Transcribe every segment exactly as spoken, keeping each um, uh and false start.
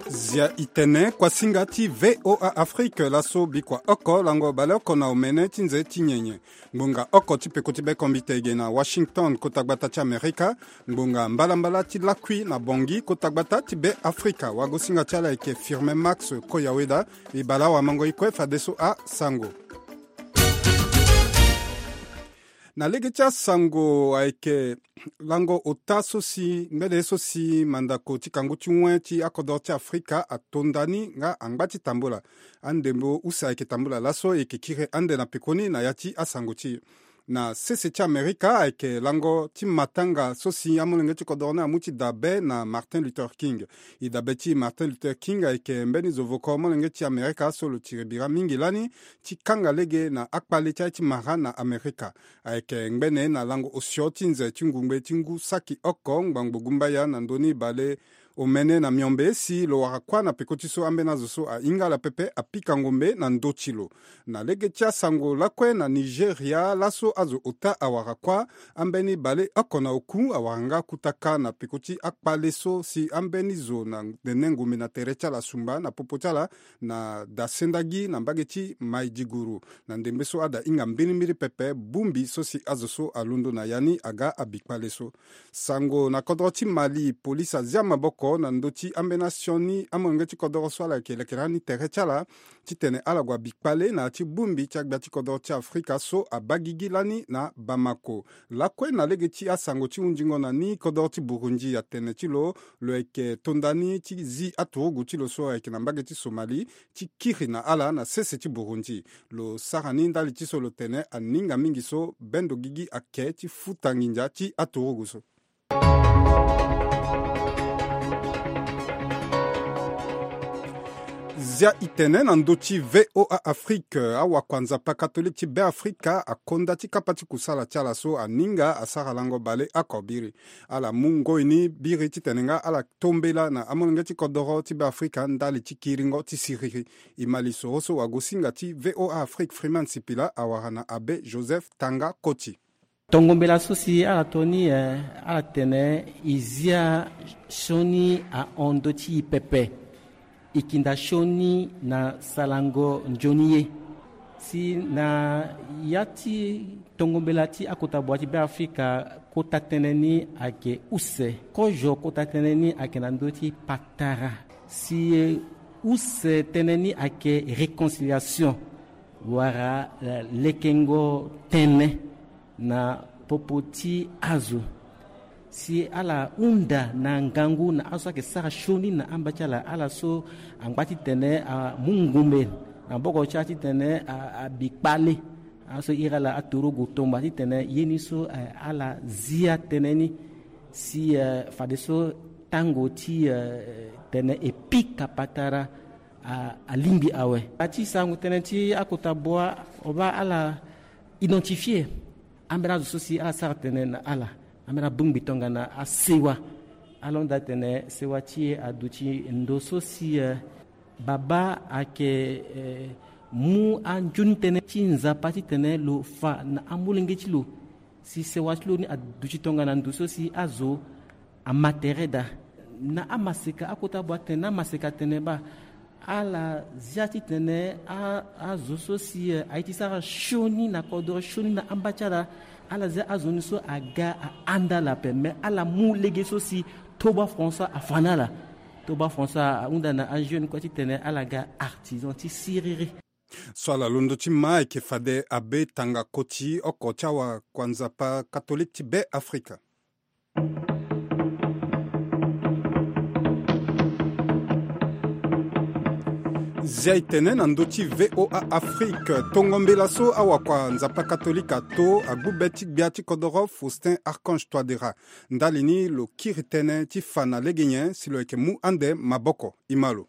Zia itene kuasinga ti VOA Afrique laso bikua oko lango baleoko na omene ti nze ti nyenye. Ngbonga oko ti peko ti bekombite ege na Washington, kota gbata ti Amerika. Ngbonga mbalambala ti lakui na Bangui, kota gbata ti Be Afrika. Wagosinga ti ala eke Firmin Max Koyaweda. E bale awamango e kue fadeso asango. Na lege ti asango ayeke lango ota so si ngbene ye so si mandako ti kangu ti wen ti akodoro ti Afrika ato ndani nga angba ti tambula. Andembo use ayeke tambula laso e yeke kiri ande na pekoni na ya ti asango ti e. Na sese ti Amerika ayeke lango ti matanga so si amolenge ti kodoro ni amu ti dabe na Martin Luther King. E dabe ti Martin Luther King ayeke mbeni zovoko molenge ti Amerika so lo tiri bira mingi lani ti kanga lege na akpale ti aye ti mara na Amerika. Ayeke ngbene na lango osio ti nze ti ngungbe ti ngu saki oko ngbangbo gumbaya na ndoni bale omene na miombe si lo wara kuâ na peko ti so ambeni azo so ahinga ala pepe apika ngombe na ndö ti lo. Na lege ti asango lakue na Nigeria laso azo ota awara kuâ. Ambeni baleoko na oku awara nga kutaka na peko ti akpale so si ambeni zo na nene ngombe na tere ti ala sumba na popo ti ala na dasendagi na mbage ti Maiduguri. Na ndembe so ada hinga mbirimbiri pepe bongbi so si azo so alondo na ya ni aga abikpale so. Sango na kodoro ti Mali, polisi azia maboko na ndö ti ambeni asioni amolenge ti kodoro so ala yeke leke lani tere ti ala titene ala gue abikpale na ya ti bongbi ti agbia ti kodoro ti Afrika so abaa gigi lani na Bamako. Lakue na lege ti asango ti hunzingo na ni, kodoro ti Burundi atene ti lo lo yeke to ndani ti zi aturugu ti lo so ayeke na mbage ti Somali ti kiri na ala na sese ti Burundi. Lo sara ni ndali ti so lo tene aninga mingi so bendo gigi ake ti futa nginza ti aturugu so. Zia itene na ndö ti VOA Afrique, awakua Nzapa katolike ti Be Afrika akonda ti kapa ti kusala ti ala so aninga asara lango baleoko biri. Ala mu ngoi ni biri titene nga ala tombela na amolenge ti kodoro ti Be Afrika ndali ti kiringo ti siriri. E ma lisoro so wagosinga ti VOA Afrique Freeman Sipila awara na Abbé Joseph Tanga Koti. Tongo mbela so si ala to ni, eh, ala tene e zia sioni ahon ndö ti e pepe. E kinda sioni na sarango nzoni ye. Si na ya ti tongo mbela ti akota bua ti Be Afrika, kota tënë ni ayeke use. Kozo kota tënë ni ayeke na ndö ti patara. Si, eh, use tënë ni ayeke réconciliation wala, eh, lekengo tënë na popo ti azo. Si ala hunda na ngangu na azo so ayeke sara sioni na amba ti ala, ala so angba titene amu ngumbe na boko ti ala titene a, abi kpale. Ala so iri ala aturugu tomba titene ye ni so, eh, ala zia tënë ni. Si, eh, fadeso tango ti, eh, tene e pika patara a, alingbi awe. A ti sango tënë ti akota bua o baa ala identifier ambeni azo so si ala sara tënë na ala, ambeni abongbi tongana asewa. Ala hunda tene sewa ti e aduti ndo so si, eh, babâ ayeke, eh, mu anzoni tënë ti Nzapa titene lo fa na amolenge ti lo. Si sewa ti lo ni aduti tongana ndo so si azo ama tere daa. Na amaseka akota bua tene na amaseka atene baa ala zia titene a, azo so si, eh, aye ti sara sioni na kodoro, sioni na amba ti ala. Ala zia azo ni so aga ahanda ala ape, me ala mu lege so si Toba François afa na ala. Toba François ahunda na ajeune kue titene ala ga artisan ti siriri. So ala londo ti ma ayeke fade Abbé Tanga Koti, oko ti awakua Nzapa katolike ti Be Afrika. Zia e tene na ndö ti VOA Afrique, tongo mbela so awakua Nzapa katolike ato agbu be ti gbia ti kodoro Faustin Archange Touadéra. Ndali ni lo kiri tënë ti fa na lege nyen si lo yeke mu ande maboko. E ma lo.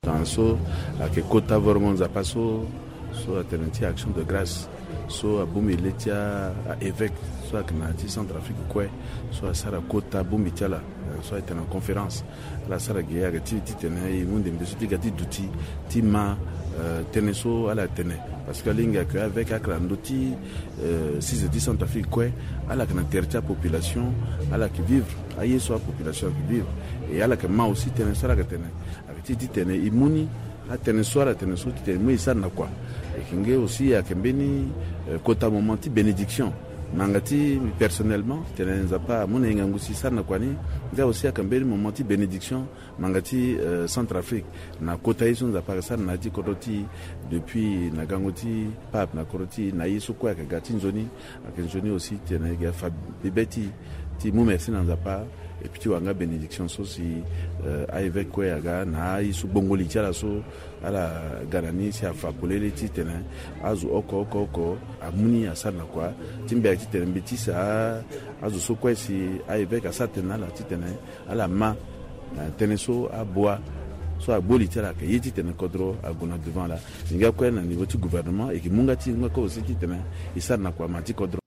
Tongana so ayeke kota vraiment Nzapa so, so atene ti action de grâce, so abongbi le ti a, a-évêque so ayeke na ya ti Centrafrique kue, so asara kota bongbi ti ala, so ayeke na conférence. Ala sara ge ayeke ti, titene e mu ndembe so ti ga ti duti ti ma, Tënë so ala tene, parce que alingbi ayeke avec ayeke na ndö ti six de ti Centrafrique kue. Ala yeke na tere ti apopulation, ala yeke vivre aye so apopulation ayeke vivre. E ala yeke ma aussi tënë so ala yeke tene, ayeke ti titene e mu ni atënë so ala tene so titene e mu e sara na kua. E yeke nge aussi ayeke mbeni kota moment ti bénédiction. Nanga ti personnellement titene Nzapa amu na e ngangu si e sara na kua ni. Nga aussi ayeke mbeni moment ti bénédiction nanga ti Centrafrique na kota ye so Nzapa ayeke sara na ya ti kodro ti e. Depuis na gango ti pape na kodro ti e na ye so kue ayeke ga ti nzoni, ayeke nzoni aussi titene e ga fa bebe ti e ti mu merci na Nzapa. Et puis ti wara nga bénédiction so si a-évêque kue aga na aye so gbongo li ti ala so ala ga na ni si afa polele titene azo oko oko oko amu ni asara na kua. Ti mbi ayeke titene mbi ti sa azo so kue si a-évêque asara tene na ala titene ala ma na tënë so abua so agbo li ti ala ayeke ye titene kodro ague na devant ala. E nga kue na niveau ti gouvernement e yeke mu nga ti e nga kue aussi titene e sara na kua ma ti kodro.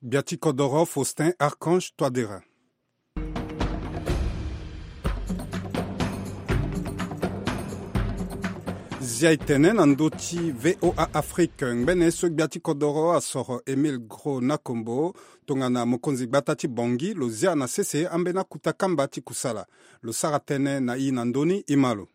Gbia ti kodoro Faustin Archange Touadéra. Zia e tene na ndö ti VOA Afrique, ngbene so gbia ti kodoro asoro Émile Gros Nakombo tongana mokonzi gbata ti Bangui lo zia na sese ambeni akuta kamba ti kusala. Lo sara tënë na e na ndö ni, e ma lo.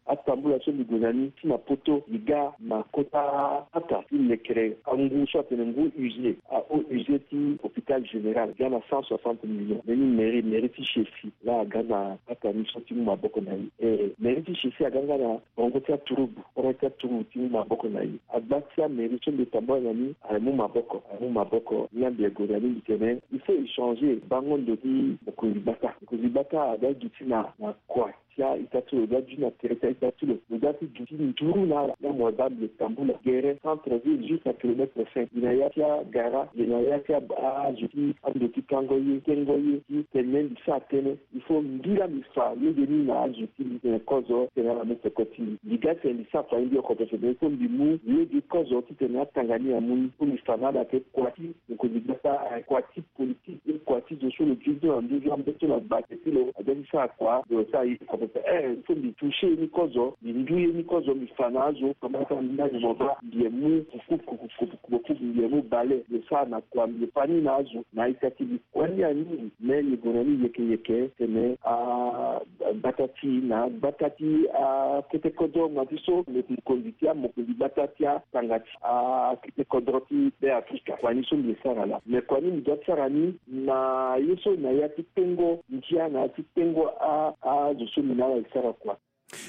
Atambula so mbi gue na ni ti na poto, mbi ga na kota ata ti lekere angu so atene ngu huissier, a-haut huissier ti hôpital général, ga na cent soixante millions. Mbeni mairie, mairie ti Séfi laa aga na ata ni so ti mu maboko na e. E, mairie ti Séfi aga nga na bongo ti aturugu, koro ti aturugu ti mu maboko na e. Agba ti amairie so mbi tambula na ni amu maboko, amu maboko. Nga mbi gue na ni mbi tene il faut échanger bango ndo ti mokonzi gbata. Mokonzi gbata aga gi ti na, na kua ti a-ita ti lo, lo ga gi na tere ti a-ita ti lo, lo ga ti gi ti nduru na ala. Nga mo baa mbi tambula gere centre ville jusqu'à kilomètre cinq. Mbi na ya ti agara, mbi na ya ti a, azo ti ando ti kango ye, kengo ye, ti tene mbi sara tënë. Il faut mbi laa mbi fa lege ni na azo ti mbi tene kozo tene ala mu peko ti mbi. Mbi ga tene mbi sara kua ni mbi oko pepe, mais il faut mbi mu lege kozo titene atanga ni amu ni. Il faut mbi fa na ala ke kua ti mokonzi gbata, eh, kua ti politique, eh, kua ti zo so lo gi so na nduzu ambe so na gbate ti lo aga ti sara kua, lo sara ye ti kua pepe. Eh, so mbi toucher ye ni kozo, mbi ndu ye ni kozo, mbi fa na azo, kamba ti mbi na mbi mo baa mbi ye mu kuku, kuku, kuku, kuku, mbi ye mu bale, mbi sara na kua, mbi fa ni na azo na a-ita ti mbi. Kua ni ani, mais mbi gue na ni yeke yeke, tene a, gbata ti na gbata ti akete kodro, ma ti so mokonzi ti amokonzi gbata ti atanga ti akete kodro ti Beafrika. Kua ni so mbi sara laa. Me kua ni mbi doit ti sara ni na ye so na ya ti tengo ndia, na ya ti tengo a, azo so mbi na ala e sara kua.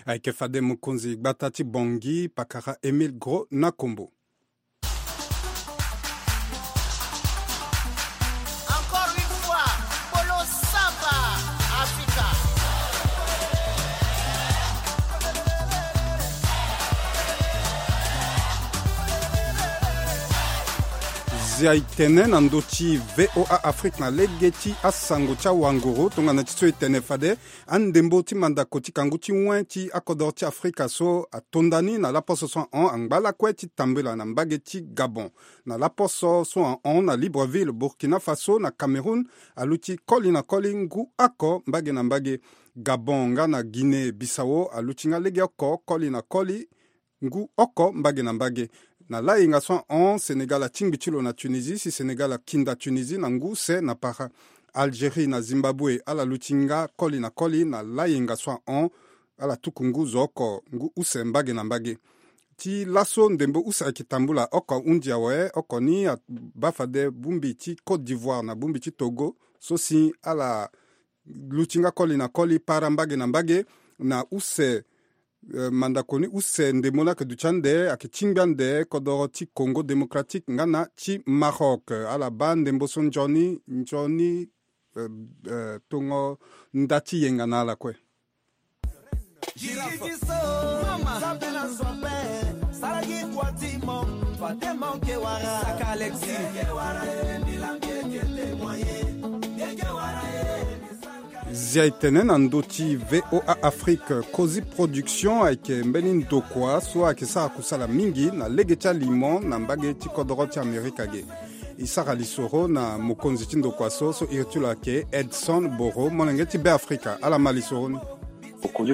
Ayeke fade mokonzi gbata ti Bangui, pakara Émile Gros Nakombo. Encore une fois, Polo Sava, Africa. Zia e tene na ndö ti VOA Afrique na lege ti asango ti awanguru tongana ti so e tene fade. Andembo ti mandako ti kangu ti wen ti akodoro ti Afrika so atonda ni na laposo so ahon angba lakue ti tambela na mbage ti Gabon. Na laposo so ahon na Libreville, Burkina Faso, na Cameroun, aluti koli na koli ngu oko mbage na mbage. Gabon nga na Guinée Bissau aluti nga legeoko koli na koli ngu oko mbage na mbage. Na layenga so ahon, Sénégal atingbi ti lo na Tunisie, si Sénégal akinda Tunisie na ngu use na para. Algérie na Zimbabwe ala luti nga koli na koli na layenga so ahon, ala tuku ngu zo oko ngu use mbage na mbage. Ti laso ndembo use ayeke tambula oko ahunzi awe, oko ni abaa fade bongbi ti Côte d'Ivoire na bongbi ti Togo so si ala luti nga koli na koli para mbage na mbage. Na use Eh, mandako ni use ndembo ni ayeke duti ande, ayeke tingbi ande kodoro ti Congo Démocratique nga na ti Maroc. Ala baa ndembo so nzoni nzoni, eh, eh, tongo nda ti yenga na ala kue. Zia e tene na ndö ti VOA Afrique. Cosi Production ayeke mbeni ndokua so ayeke sara kusala mingi na lege ti alimo na mbage ti kodoro ti Amerika ge. E sara lisoro na mokonzi ti ndokua so, so iri ti lo ayeke Edson Boro, molenge ti Beafrika. Ala ma lisoro ni.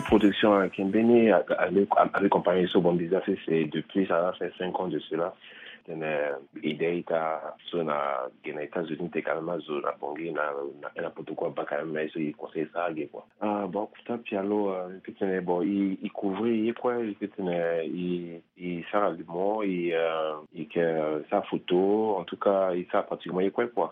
Production ayeke mbeni avec compagnie so bon bizin sese depuis ça fait cinq ans de cela. Tene idée ita so na ge na États-Unis te quand même azo na Bangui na na protocole abaka même mais so i conseil sara ge quoi. Ah bon kuta pialo i peut tene bon i couvrir ye quoi i peut tene i i sara limo i i ke sara photo en tout cas i sara pratiquement ye kue quoi.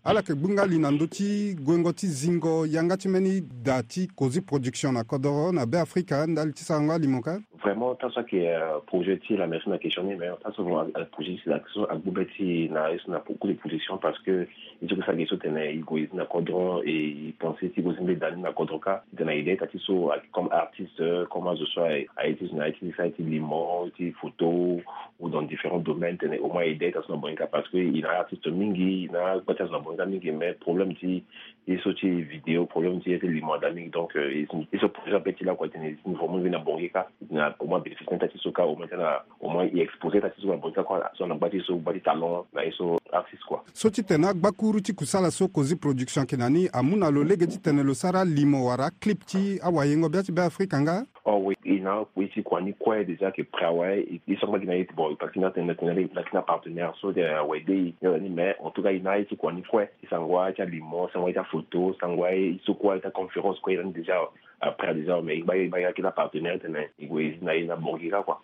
Ala yeke gbunga li na ndö ti guengo ti zingo yanga ti mbeni da ti Kozi Production na kodoro na Beafrika ndali ti sarango alimo ka. Vraiment tant so ayeke projet ti la merci na question ni mais tant so projet ti la question agbu be ti na ye so na beaucoup de production parce que i so ke sara ge so tene i gue i zi na kodro et i pense ti gue zi mbeni da ni na kodro ka titene i de ita ti so comme artiste comme azo so aye ti zo na ye ti sara ye ti limo ti photo ou dans différents domaines tene au moins i de ita so na bonga ka parce que i na artiste mingi i na gba ti azo na bonga mingi mais problème ti ye so ti vidéo problème ti ye ti limo ada mingi donc ye so projet ape ti lakue tene i zi ni vraiment i zi na bonga ka titene au moins bénéfice na ita ti so ka au moins tena au moins i exposer ita ti so na bonga ka kua so na gba ti so gba ti talent na ye so artiste kua. So ti tene agbakuru ti kusala so Kozi Production ayeke na ni amu na lo lege ti tene lo sara limo wala clip ti awayengo bia ti Beafrika nga. Oh oui i na akui ti kua ni kue déjà ayeke prêt awe i sangba gi na ye ti bon i paki na tene na tene na tene na partenaire so de awe de i na ni mais en tout cas i na ye ti kua ni kue i sango aye ti alimo sango aye ti aphoto sango aye i so kue aye ti aconférence kue i na ni déjà après déjà mais i gba ye i gba ye akina partenaire tene i gue i zi na ye na bongi ka kua.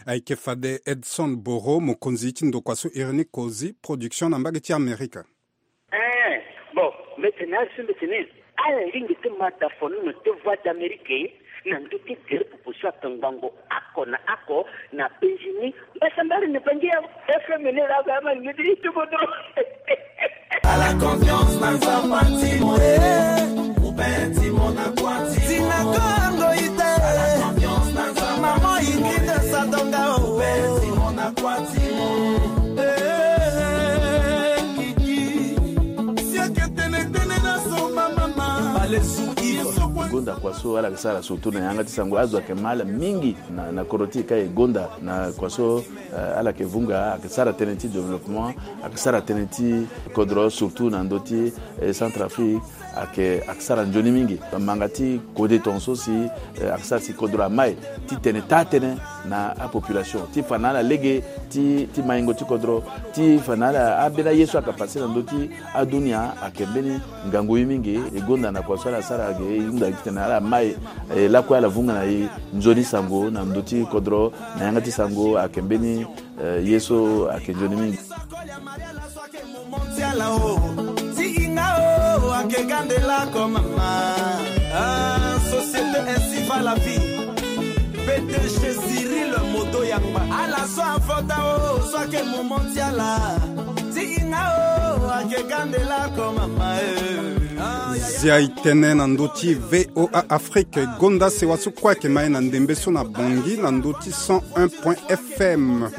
Ayeke fade Edson Boro mokonzi ti ndokua so iri ni Kozi Production na mbage ti Amerika. Eh, bon, mbi tene azo mbi tene ala lingbi ti ma dafonono ti Voix d'Amérique na ndö ti gere popo so atongbango oko na oko na penzi ni mbasambari na bangi ya F M ni la ba ma ni ti tubo do. Ala confiance na Nzapa ti mo e. Ti na kongo ite. Mama ingita sadonga o. Gonda kua so ala yeke sara surtout na yanga ti sango azo ayeke ma ala mingi na kodro ti e ka e gonda na kua so ala yeke vunga ayeke sara tënë ti développement ayeke sara tënë ti kodro surtout na ndö ti Centrafrique. Ayeke ayeke sara nzoni mingi manga ti kode tongaso si ayeke sara si kodro amai ti tene taa tënë na apopulation ti fa na ala lege ti maingo ti kodro ti fa na ala ambeni aye so ayeke pase na ndö ti adunia ayeke mbeni ngangu ye mingi. E gonda na kua so ala sara ge e hunda gi titene ala mai lakue ala vunga na e nzoni sango na ndö ti kodro na yanga ti sango ayeke mbeni ye so ayeke nzoni mingi. Ti hinga o ayeke gande lako mama. Société ainsi va la vie. P D G Cyril Modo Yangba ala so avota o so ayeke momo ti ala. Ti hinga o ayeke gande lako mama. Zia e tënë na ndö ti V O A Afrique gonda sewa so kue ayeke ma e na ndembe so na Bangui na ndö ti cent un point F M.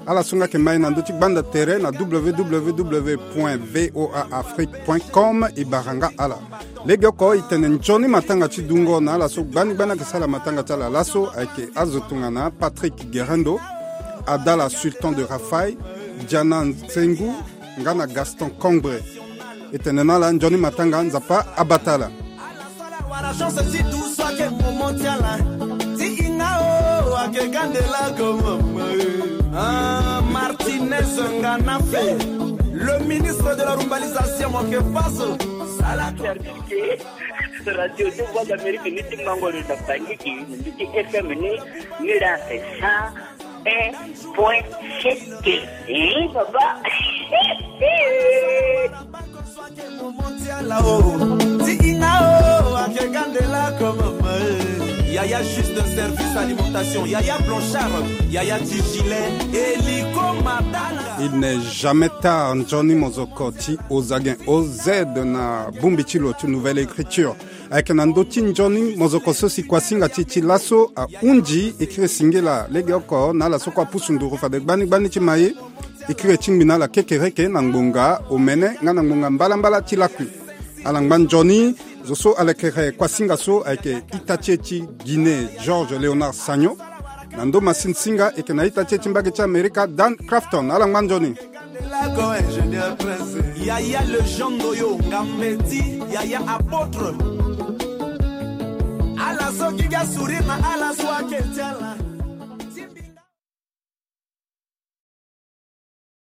Ala so nga ayeke ma e na ndö ti gbanda tere na W W W point V O A Afrique point com e bara nga ala. Legeoko e tene nzoni matanga ti dungo na ala so gbani gbani ayeke sara matanga ti ala laso ayeke azo tongana Patrick Guerendo, Adala Sultan de Rafaï, Diana Nsengu nga na Gaston Cambrai. E tene na ala nzoni matanga Nzapa abata ala. Ala so ala wara chance ti dusu ayeke momo ti ala. Ti hinga o ayeke gande lako mama. Martinez Nganafe, le ministre de la rumbalisation mo yeke faso. Ala service ke Radio de Voix d'Amérique ni ti mango ni na Bangui ke ni ti F M ni ni la ke sa. Un point sept. Eh, papa. Yaya juste service alimentation, Yaya Blanchard, Yaya Tigilet, Eliko Matanga. Il n'est jamais tard, nzoni mozoko ti Ozagen O Z na bongbi ti lo ti Nouvelle Écriture. Ayeke na ndö ti nzoni mozoko so si kuasinga ti e ti laso ahunzi e kiri singila legeoko na ala so kue apusu nduru fade gbani gbani ti ma e. E kiri e ti ngbi na ala kekereke na ngbonga omene nga na ngbonga mbalambala ti lakui. Ala ngba nzoni. Zo so ala yeke re kuasinga so ayeke ita ti e ti Guinée Georges Léonard Sagno. Na ndö masinsinga e yeke na ita ti e ti mbage ti Amerika Dan Crafton ala ngba nzoni. Yaya Legende Prince, Yaya Legende oyo Ngambeti, Yaya Apôtre. Ala so gi ga sourire na ala so ake ti ala.